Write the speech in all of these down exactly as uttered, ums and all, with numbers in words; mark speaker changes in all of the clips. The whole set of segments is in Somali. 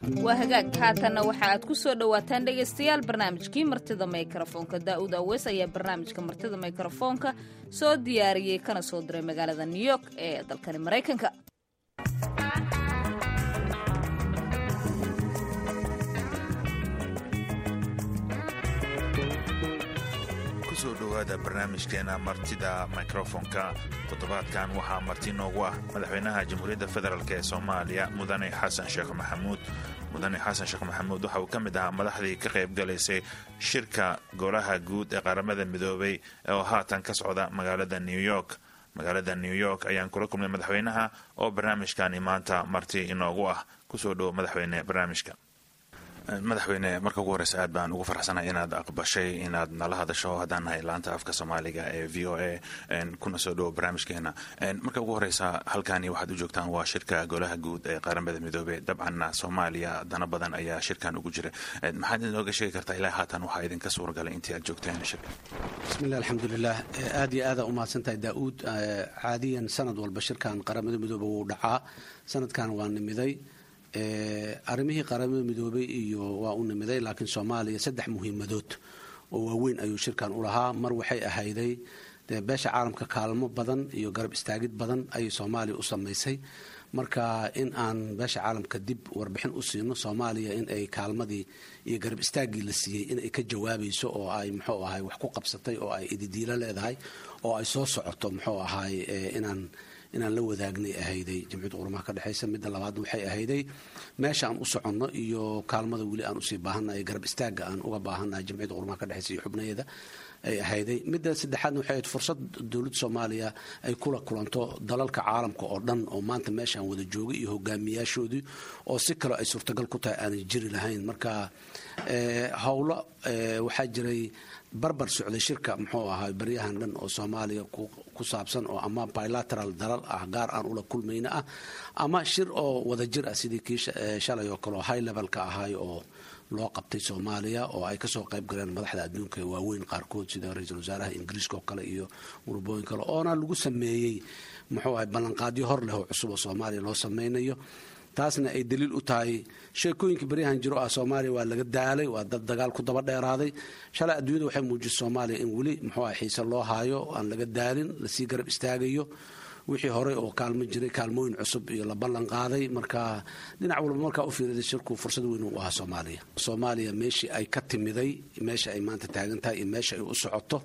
Speaker 1: Waa hagaag. Haatanna waxa aad ku soo dhowaataan, dhegaystayaal, barnaamijkii Martida Mikrofoonka. Daa'uud Aweys ayaa barnaamijka Martida Mikrofoonka soo diyaariyey kana soo diray magaalada New York ee dalkani Maraykanka.
Speaker 2: Kusoo dhowaada barnaamijkeena Martida Mikrofonka. Toddobaadkan waxaa marti noogu ah madaxweynaha Jamhuuriyadda Federaalk ee Soomaaliya, Mudane Xasan Sheekh Maxamuud. Mudane Xasan Sheekh Maxamuud waxa uu ka mid ahaa madaxdii ka qayb galaysay shirka Golaha Guud ee Qaramada Midoobay oo haatan ka socda magaalada New York. Magaalada New York ayaan kula kulmay madaxweynaha oo barnaamijkani maanta marti inoogu ah. Kusoo dhowo, madaxweyne, barnaamijka. Madaxweyne, marka ugu horeysa aad baan ugu farxsanahay inaad aqbashay inaad nala hadasho haddaan nahay laanta afka Soomaaliga ee V O A, kuna soo dhowo barnaamijkeena. Marka ugu horeysa, halkani waxaad u joogtaan waa shirka Golaha Guud ee Qaramada Midoobey. Dabcanna Soomaaliya dano badan ayaa shirkan ugu jira. Maxaad inooga sheegi kartaa ilaa haatan waxaa idinka suuragalay intii aad joogteen shirka?
Speaker 3: Bismillaah, alxamdulilah. Aad iyo aada umahadsantahay, Daa-uud. Caadiyan sanad walba shirkan Qaramada Midoobe wuu dhacaa. Sanadkan waa nimiday arrimihii Qaramada Midoobey iyo waa u nimiday, laakiin Soomaaliya saddex muhiimadood oo waaweyn ayuu shirkan u lahaa. Mar waxay ahayday dee beesha caalamka kaalmo badan iyo garab istaagid badan ayay Soomaaliya u samaysay. Marka in aan beesha caalamka dib warbixin u siino Soomaaliya in ay kaalmadii iyo garab istaaggii la siiyey in ay ka jawaabayso oo ay, muxuu ahay, wax ku qabsatay oo ay ididiilo leedahay oo ay soo socoto, muxuu ahay, inaan inaan la wadaagnay ahayday Jamciyadda Qurumaha ka Dhexaysa. Midda labaadna waxay ahayday meesha aan u soconno iyo kaalmada weli aan usii baahannahay, garab istaagga aan uga baahannahay Jamciyadda Qurumaha ka Dhexaysa iyo xubnaheeda ay ahayday. Midda saddexaadna waxay ahayd fursad dowladda Soomaaliya ay kula kulanto dalalka caalamka oo dhan oo maanta meeshaan wada joogay iyo hogaamiyaashoodii, oo si kaleo ay suurtagal ku tahay aanay jiri lahayn. Marka howlo waxaa jiray barbar socday shirka, muxuu ahaa, baryahan dhan oo Soomaaliya ku saabsan, oo ama bilateral dalal ah gaar aan ula kulmayna ah ama shir oo wadajir ah sidii kii shalay oo kale oo high levelka ahaay oo loo qabtay Soomaaliya, oo ay kasoo qayb galeen madaxda adduunka waaweyn qaarkood, sida ra-iisul wasaaraha Ingiriiska oo kale iyo urubooyin kale, oona lagu sameeyey, muxuu ahay, ballanqaadyo hor leh oo cusub oo Soomaaliya loo sameynayo. Taasna ay daliil u tahay sheekooyinka baryahan jiro ah Soomaaliya waa laga daalay, waa dad dagaal ku daba dheeraaday. Shalay adduunyada waxay muujisay Soomaaliya in weli, muxuu ah, xiise loo haayo, aan laga daalin, lasii garab istaagayo, wixii horey oo kaalmo jiray kaalmooyin cusub iyo la ballan qaaday. Marka dhinac walba markaa u fiiriday, shirku fursad weyn u ahaa Soomaaliya. Soomaaliya meeshii ay ka timiday, meesha ay maanta taagan tahay iyo meesha ay u socoto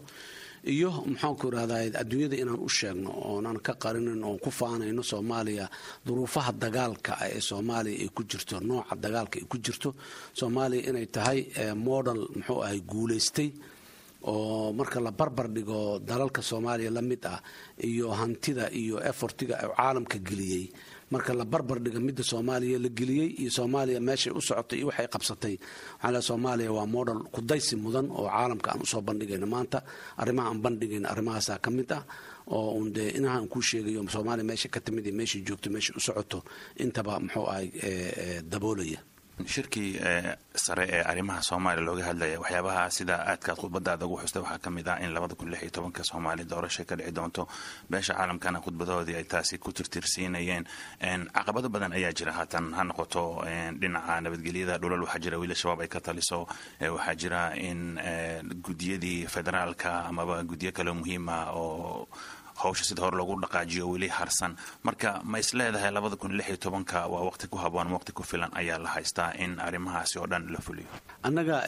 Speaker 3: iyo, maxaanku irahdaa, adduunyada inaan u sheegno oonan ka qarinin oon ku faanayno Soomaaliya duruufaha dagaalka ee Soomaaliya ay ku jirto, nooca dagaalka ay ku jirto Soomaaliya, inay tahay model, muxuu ahay, guulaystay, oo marka la barbar dhigo dalalka Soomaaliya la mid ah iyo hantida iyo effortiga caalamka geliyey, marka la barbar dhigo midda Soomaaliya la geliyey iyo Soomaaliya meeshay u socotay iyo waxay qabsatay, waxaan leeyahay Soomaaliya waa model kudaysi mudan oo caalamka aan usoo bandhigayno maanta. Arrimaha aan bandhigayno arrimahaasaa ka mid ah, oo un dee inaha aan kuu sheegayo Soomaaliya meesha ka timid iyo meeshay joogto, meeshay u socoto intaba, muxuu ahay, daboolaya.
Speaker 2: Shirkii sare ee arrimaha Soomaaliya looga hadlaya, waxyaabaha sida aadkaad khudbadaada ugu xustay waxaa ka mid ah in labada kun lix iyo tobanka Soomaaliya doorasha ka dhici doonto, beesha caalamkana khudbadoodii ay taasi ku tirtirsiinayeen. Caqabado badan ayaa jira haatan, ha noqoto dhinaca nabadgelyada, dhulal waxaa jira wiil Shabaab ay ka taliso, waxaa jira in guddiyadii federaalka amaba guddiyo kale muhiima oo hawsha sida hore loogu dhaqaajiyo weli harsan. Marka ma is leedahay labada kun lix iyo tobanka waa waqti ku haboon, waqti ku filan ayaa la haystaa in arrimahaasi oo dhan la fuliyo?
Speaker 3: Annaga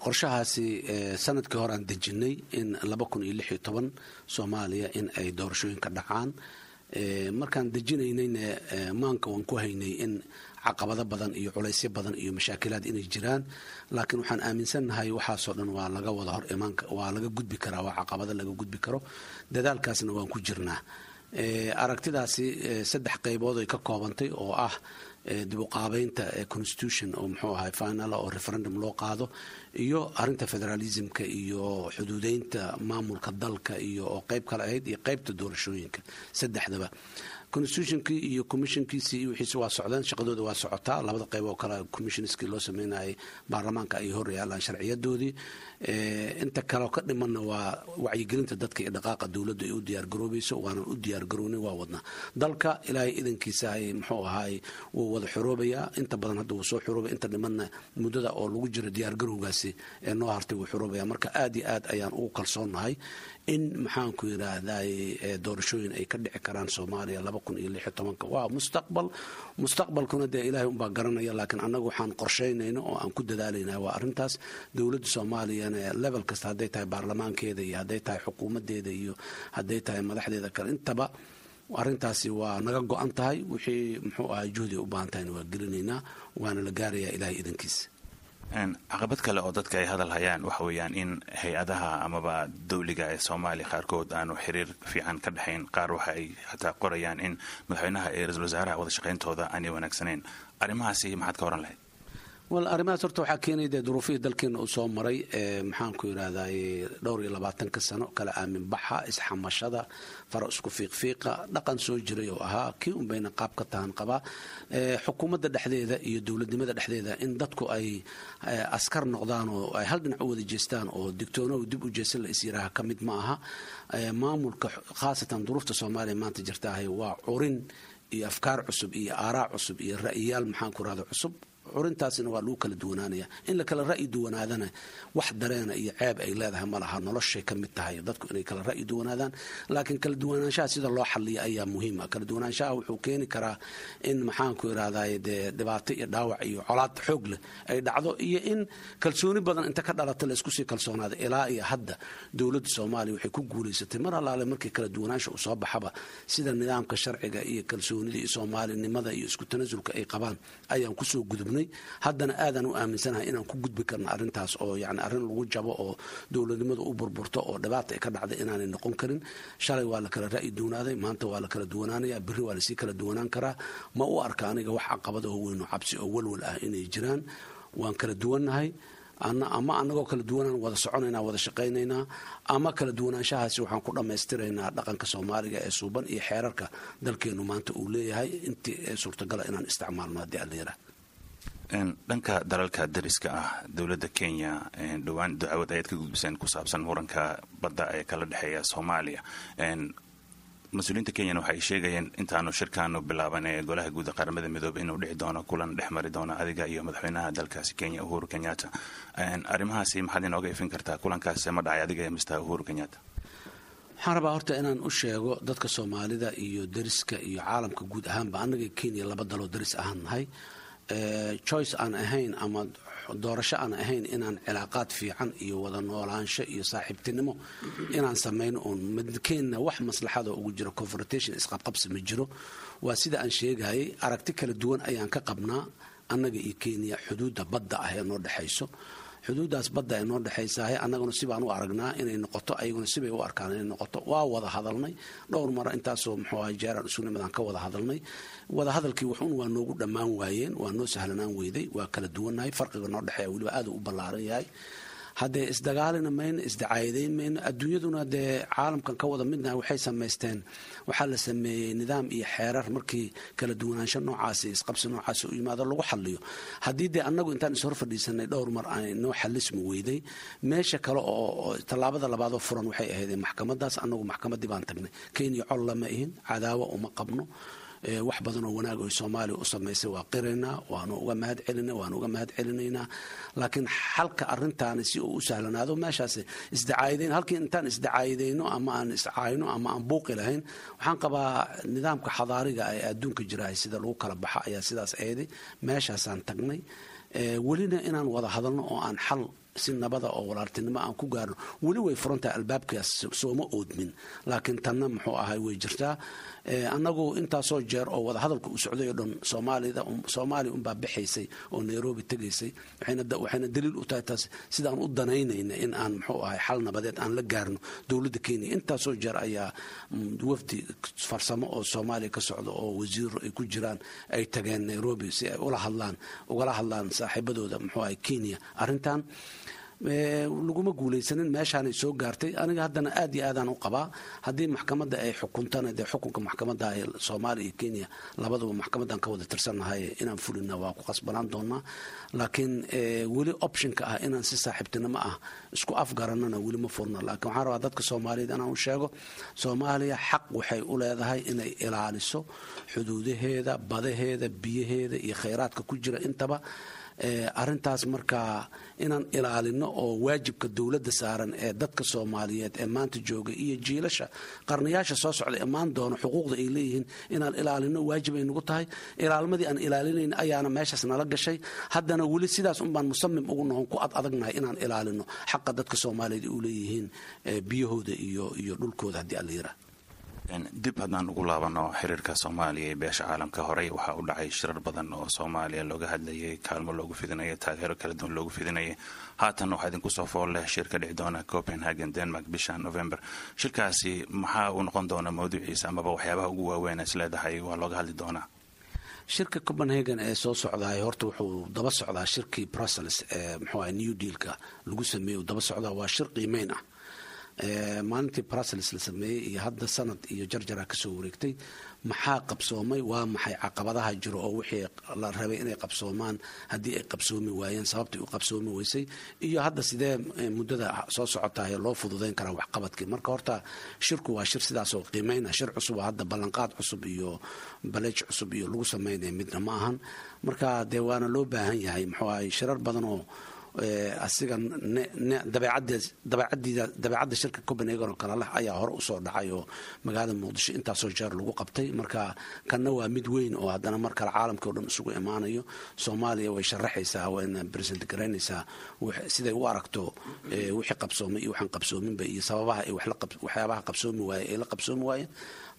Speaker 3: qorshahaasi sanadkii hore aan dejinay in laba kun iyo lix iyo toban Soomaaliya in ay doorashooyinka dhacaan. Markaan dejinaynayna maanka waan ku haynay in caqabado badan iyo culaysyo badan iyo mashaakilaad inay jiraan, laakiin waxaan aaminsannahay waxaasoo dhan waa laga wada hor imaan, waa laga gudbi karaa, waa caqabado laga gudbi karo, dadaalkaasna waan ku jirnaa. Aragtidaasi saddex qaybood ay ka koobantay, oo ah dib u qaabeynta constitution oo, muxuu ahay, final oo referendum loo qaado, iyo arrinta federalismka iyo xuduudeynta maamulka dalka iyo oo qayb kale ahayd, iyo qaybta doorashooyinka. Saddexdaba Constitutionkii iyo commissionkiisii iyo wixiisi waa socdeen, shaqadooda waa socotaa. Labada qayb oo kale commissionskii loo sameynayay baarlamaanka ay hor yaalaan sharciyadoodii. Inta kaleo ka dhimanna waa wacyigelinta dadka iyo dhaqaaqa dowladdu ay u diyaargaroobayso. Waanan u diyaargarownay, waa wadnaa. Dalka Ilaahay idankiisa muxuu ahaay wuu wada xoroobayaa. Inta badan hadda wuu soo xoroobay, inta dhimanna muddada oo lagu jiro diyaargarowgaasi ee noo hartay wuu xoroobaya. Marka aad iyo aad ayaan ugu kalsoonnahay in, maxaanku yidhaahday, doorashooyin ay ka dhici karaan Soomaaliya laba kun iyo lix iyo tobanka. Waa mustaqbal, mustaqbalkuna dee Ilaahay unbaa garanaya, laakiin annagu waxaan qorshaynayno oo aan ku dadaalayna waa arrintaas. Dowladda Soomaaliyana level kasta, hadday tahay baarlamaankeeda iyo hadday tahay xukuumaddeeda iyo hadday tahay madaxdeeda kale, intaba arrintaasi waa naga go-an tahay. Wixii muxuu ahay juhdi u baahan tahayna waa gelinaynaa, waana la gaarayaa Ilaahay idankiisa.
Speaker 2: Caqabad kale oo dadka ay hadal hayaan waxa weeyaan in hay-adaha amaba dowliga ee Soomaaliya qaarkood aanu xiriir fiican ka dhexayn. Qaar waxa ay xataa qorayaan in madaxweynaha iyo ra-iisul wasaaraha wada shaqayntooda aanay wanaagsanayn. Arrimahaasi maxaad ka oran lahayd?
Speaker 3: Wal, arrimahaas horta waxaa keenaya dee duruufihii dalkeena uu soo maray, maxaanku yidhaahday, dhowr iyo labaatanka sano, kala aamin baxa, isxamashada, fara isku fiiqfiiqa, dhaqan soo jiray oo ahaa kii un bayna qaab ka tahan qabaa xukuumadda dhexdeeda iyo dowladnimada dhexdeeda, in dadku ay askar noqdaan oo ay hal dhinac u wada jeestaan oo digtoonow dib u jeesan la is yiraaha ka mid ma aha maamulka. Khaasatan duruufta Soomaaliya maanta jirtaahay waa curin iyo afkaar cusub iyo aaraa cusub iyo ra'yiyaal, maxaanku rahda, cusub. Curintaasina waa lagu kala duwanaanaya. In la kala ra'yi duwanaadana wax dareena iyo ceeb ay leedahay ma laha, noloshay ka mid tahay dadku inay kala ra'yi duwanaadaan. Laakiin kala duwanaanshaha sida loo xaliya ayaa muhiim ah. Kala duwanaanshaha wuxuu keeni karaa in, maxaanku irahday, dee dhibaato iyo dhaawac iyo colaad xoog leh ay dhacdo, iyo in kalsooni badan inta ka dhalata la isku sii kalsoonaada. Ilaa iyo hadda dowladda Soomaaliya waxay ku guulaysatay mar allaale markii kala duwanaansha uu soo baxaba, sida nidaamka sharciga iyo kalsoonida iyo soomaalinimada iyo isku tanasulka ay qabaan ayaan kusoo gudubnay. Haddana aadaan u aaminsanahay inaan ku gudbi karno arrintaas, oo yani arrin lagu jabo oo dowladnimadu u burburto oo dhibaata ay ka dhacday inaanay noqon karin. Shalay waa la kala ra'yi duwanaaday, maanta waa la kala duwanaanaya, berri waa lasii kala duwanaan karaa. Ma u arka aniga wax caqabada oo weyn oo cabsi oo walwal ah inay jiraan. Waan kala duwannahay, ama anagoo kala duwanaan wada soconaynaa, wada shaqaynaynaa, ama kala duwanaanshahaasi waxaan ku dhammaystiraynaa dhaqanka Soomaaliga ee suuban iyo xeerarka dalkeenu maanta uu leeyahay intii ee suurtagala inaan isticmaalno, haddii Alla yiraah.
Speaker 2: Dhanka dalalka dariska ah, dowladda Kenya dhowaan dacwad ayaad ka gudbiseen ku saabsan muranka badda ee kala dhexeeya Soomaaliya. Mas-uuliyiinta Kenyana waxay sheegayeen intaanu shirkaanu bilaaban ee Golaha Guud ee Qaramada Midoobey inuu dhici doono kulan dhex mari doono adiga iyo madaxweynaha dalkaasi Kenya, Uhuru Kenyatta. Arrimahaasi maxaad inooga ifin kartaa? Kulankaasi ma dhacay adiga iyo Mister Uhuru Kenyatta?
Speaker 3: Waxaan rabaa horta inaan u sheego dadka Soomaalida iyo dariska iyo caalamka guud ahaanba, annaga Kenya laba daloo daris ahaan nahay. Choice aan ahayn ama doorasho aan ahayn inaan cilaaqaad fiican iyo wada noolaansho iyo saaxiibtinimo inaan samayno uun midkeenna wax maslaxada ugu jiro confrontation, isqabqabsi ma jiro. Waa sida aan sheegayay, aragti kala duwan ayaan ka qabnaa annaga iyo Kenya xuduudda badda ah ee noo dhexayso. Xuduuddaas badda ay noo dhexaysahay, annaguna sibaan u aragnaa inay noqoto, ayaguna sibay u arkaan inay noqoto. Waa wada hadalnay dhowr mara, intaasoo muxuu ahay jeeraan isu nimadaan ka wada hadalnay. Wada hadalkii waxun waa noogu dhammaan waayeen, waa noo sahlanaan weyday. Waa kala duwannahay, farqiga noo dhexeeya weliba aad u ballaaran yahay. Haddee isdagaalina mayno, isdacaayadeyn mayno. Adduunyaduna dee caalamkan ka wada midnahay waxay samaysteen, waxaa la sameeyey nidaam iyo xeerar markii kala duwanaansho noocaasi, isqabsi noocaasi u yimaado lagu xaliyo. Haddii dee annagu intaan ishor fadhiisanay dhowr mar ay noo xalismi weyday, meesha kale oo tallaabada labaadoo furan waxay ahayd maxkamadaas. Annagu maxkamaddii baan tagnay. Kenya col lama ihin, cadaawo uma qabno. Wax badan oo wanaag oy Soomaaliya u samaysay waa qiraynaa, waanu uga mahad celina, waanu uga mahad celinaynaa. Laakiin xalka arrintaani si uu u sahlanaado, meeshaas isdacaayadeyn, halkii intaan isdacaayadeyno ama aan iscaayno ama aan buuqi lahayn, waxaan qabaa nidaamka xadaariga ee adduunka jirahay sida lagu kala baxa ayaa sidaas eeday. Meeshaasaan tagnay, welina inaan wada hadalno oo aan xal si nabada oo walaaltinimo aan ku gaarno weli way furantahay, albaabkaas sooma oodmin. Laakiin tanna muxuu ahay way jirtaa. Annagu intaasoo jeer oo wada hadalka uu socday oo dhan, Soomaalida, Soomaaliya unbaa bixaysay oo Nairobi tegaysay. Waxayna daliil u tahay taas sidaan u danaynayna in aan muxuu ahay xal nabadeed aan la gaarno dowladda Kenya. Intaasoo jeer ayaa wafdi farsamo oo Soomaaliya ka socda oo wasiiro ay ku jiraan ay tageen Nairobi si ay ula hadlaan, ugala hadlaan saaxiibadooda muxuu ahay Kenya arrintan. Laguma guulaysanin, meeshaanay soo gaartay. Aniga haddana aad iyo aadaan u qabaa haddii maxkamadda ay xukuntana, dee xukunka maxkamadda ee Soomaaliya iyo Kenya labaduba maxkamaddan ka wada tirsannahay inaan fulina waa ku qasbanaan doonaa. Laakiin weli optionka ah inaan si saaxiibtinimo ah isku afgaranana weli ma furna. Laakiin waxaan rabaa dadka Soomaaliyeed inaan u sheego, Soomaaliya xaq waxay u leedahay inay ilaaliso xuduudaheeda, badaheeda, biyaheeda iyo khayraadka ku jira intaba. Arintaas markaa inaan ilaalino oo waajibka dowladda saaran ee dadka Soomaaliyeed ee maanta jooga iyo jiilasha qarnayaasha soo socda imaan doono xuquuqda ay leeyihiin inaan ilaalino waajib ay nagu tahay. Ilaalmadii aan ilaalinayn ayaana meeshaas nala gashay. Haddana weli sidaas unbaan musamim ugu noqon, ku ad adagnahay inaan ilaalino xaqa dadka Soomaaliyeed u leeyihiin biyahooda iyo iyo dhulkooda haddii alla yiraa.
Speaker 2: Dib haddaan ugu laabano xiriirka Soomaaliya ee beesha caalamka, horey waxaa u dhacay shirar badan oo Soomaaliya looga hadlayay, kaalmo loogu fidinaya, taageero kala duwan loogu fidinayay. Haatan waxaa idinku soo fool leh shir ka dhici doona Copenhagen, Denmark, bisha November. Shirkaasi maxaa uu noqon doonaa mawduuciisa amaba waxyaabaha ugu waaweyn is leedahay waa looga hadli doonaa?
Speaker 3: Shirka Copenhagen ee soo socdaay horta wuxuu daba socdaa shirkii Brussels ee muxuu ahay New Dealka lagu sameeyey daba socdaa. Waa shir qiimeyn ah. Maalintii Brussels la sameeyey iyo hadda sanad iyo jarjara kasoo wareegtay. Maxaa qabsoomay? Waa maxay caqabadaha jiro oo wixii la rabay inay qabsoomaan haddii ay qabsoomi waayeen sababtay u qabsoomi weysay, iyo hadda sidee muddada soo socotaay loo fududeyn karaa waxqabadkii? Marka horta shirku waa shir sidaasoo qiimeyna, shir cusub oo hadda ballanqaad cusub iyo baleej cusub iyo lagu sameynaya midna ma ahan. Marka dee waana loo baahan yahay muxuu ahay shirar badan oo asiga dabeecadda shirka Copenhagen oo kale leh ayaa hore usoo dhacay oo magaalada Muqdisho intaasoo jeer lagu qabtay. Marka kanna waa mid weyn oo haddana mar kale caalamkii o dhan isugu imaanayo. Soomaaliya way sharaxaysaa, wayna present garaynaysaa siday u aragto wixii qabsoomay iyo waxaan qabsoominba iyo sababaha ay waxyaabaha qabsoomi waaye ay la qabsoomi waayeen.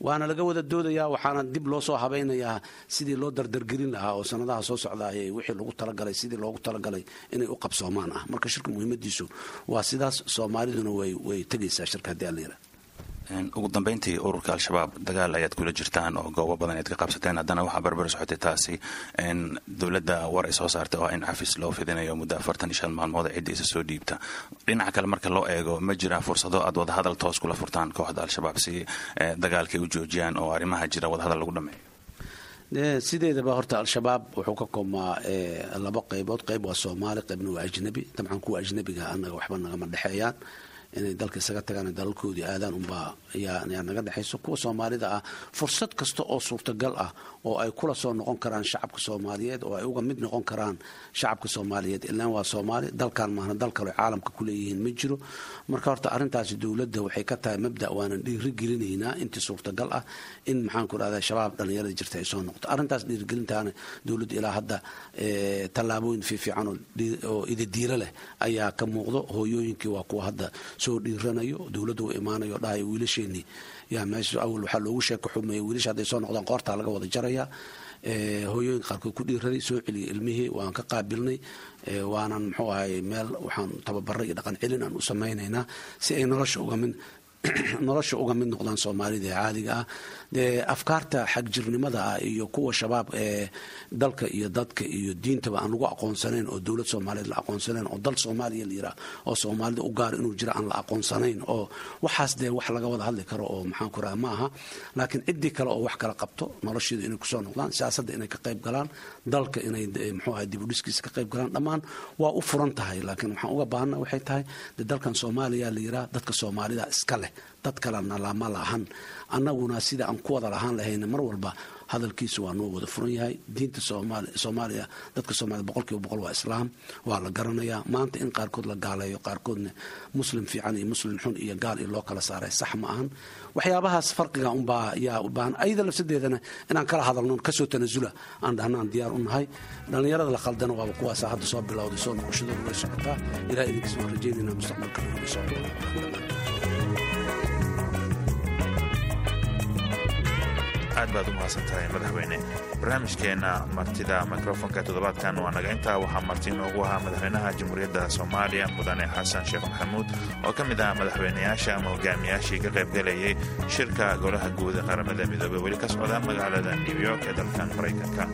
Speaker 3: Waana laga wada doodayaa, waxaana dib loo soo habaynayaa sidii loo dardargelin lahaa oo sanadaha soo socdaayay wixii lagu talagalay sidii loogu talagalay inay u qabsoomaan ah. Marka shirka muhiimadiisu waa sidaas, Soomaaliduna way way tegaysaa shirka haddii alla yidhaha.
Speaker 2: Ugu dambeyntii, ururka Al-Shabaab dagaal ayaad kula jirtaan oo goobo badan ayaad ka qabsateen. Haddana waxaa barbar socotay taasi dowladda war ay soo saartay oo in xafis loo fidinayo muddo afartan iyo shan maalmood cidda isa soo dhiibta. Dhinaca kale marka loo eego, ma jiraa fursado aad wadahadal toos kula furtaan kooxda Al-Shabaab si dagaalkay u joojiyaan oo arrimaha jira wadahadal lagu dhameeyo?
Speaker 3: Sideedaba horta Al-Shabaab wuxuu ka koobmaa laba qaybood. Qayb waa Soomaali, qaybna waa ajnabi. Dabcan kuwa ajnabiga annaga waxba nagama dhexeeyaan, inay dalka isaga tagaan dalalkoodii aadaan unbaa yaa naga dhexayso. Kuwa Soomaalida ah fursad kasta oo suurtagal ah oo ay kula soo noqon karaan shacabka Soomaaliyeed oo ay uga mid noqon karaan shacabka Soomaaliyeed, ilaan waa Soomaali, dalkan maahna dal kale caalamka kuleeyihiin ma jiro. Marka horta arrintaasi dowladda waxay ka tahay mabda, waanan dhiirigelinaynaa intii suurtagal ah in maxaan ku dhahdaa Shabaab dhallinyarada jirta ay soo noqoto. Arrintaas dhiirigelintaana dowladda ilaa hadda tallaabooyin fiifiican oo idadiilo leh ayaa ka muuqdo. Hooyooyinkii waa kuwa hadda soo dhiiranayo, dowladda u imaanayo, dhahayo wiilasheenii yaa meesha. Awal waxaa loogu sheeko xumeeyey wiilasha hadday soo noqdaan qoortaa laga wada jarayaa. Hooyooyinka qaarkood ku dhiiraday soo celiyay ilmihii, waan ka qaabilnay, waanan muxuu ahay meel waxaan tababaray iyo dhaqan celin aan u samaynaynaa si ay nolosha uga mid nolosha uga mid noqdaan Soomaalida ee caadiga ah. Dee afkaarta xagjirnimada ah iyo kuwa Shabaab ee dalka iyo dadka iyo diintaba aan lagu aqoonsanayn oo dowlad Soomaaliyeed la aqoonsanayn oo dal Soomaaliya la yiraah oo Soomaalida u gaar inuu jiro aan la aqoonsanayn, oo waxaas dee wax laga wada hadli karo oo maxaan ku raha ma aha. Laakiin ciddii kale oo wax kala qabto nolosheedu inay kusoo noqdaan, siyaasadda inay ka qayb galaan, dalka inay muxuu ahay dib u dhiskiisa ka qayb galaan, dhammaan waa u furan tahay. Laakiin waxaan uga baahana waxay tahay dee dalkan Soomaaliya la yiraah, dadka Soomaalida iska leh, dad kalena lama lahan. Annaguna sida aan ku wada lahaan lahayna mar walba hadalkiisu waa noo wada furan yahay. Diinta Soomaaliya, dadka Soomaliya boqolkiiba boqol waa islaam, waa la garanayaa. Maanta in qaarkood la gaaleeyo, qaarkoodna muslim fiican iyo muslim xun iyo gaal iyo loo kala saaray sax ma ahan. Waxyaabahaas farqiga unbaa yaa u baahan ayada lafsadeedana inaan kala hadalno, kasoo tanasula aan dhahnaan diyaar u nahay. Dhallinyarada la khaldana waaba kuwaasa hadda soo bilowday, soo noqoshadooda way socotaa. Ilaa idinkiis waan rajaynaynaa mustaqbalka inay soo.
Speaker 2: Aad baad u mahadsan tahay madaxweyne. Barnaamijkeenna martida mikrofonka toddobaadkan waa naga intaa. Waxaa marti inoogu ahaa madaxweynaha Jamhuuriyadda Soomaaliya, mudane Xasan Sheekh Maxamuud, oo ka mid ah madaxweynayaasha ama hogaamiyaashii ka qaybgalayay shirka golaha guud ee Qaramada Midoobey weli ka socda magaalada New York ee dalkan Maraykanka.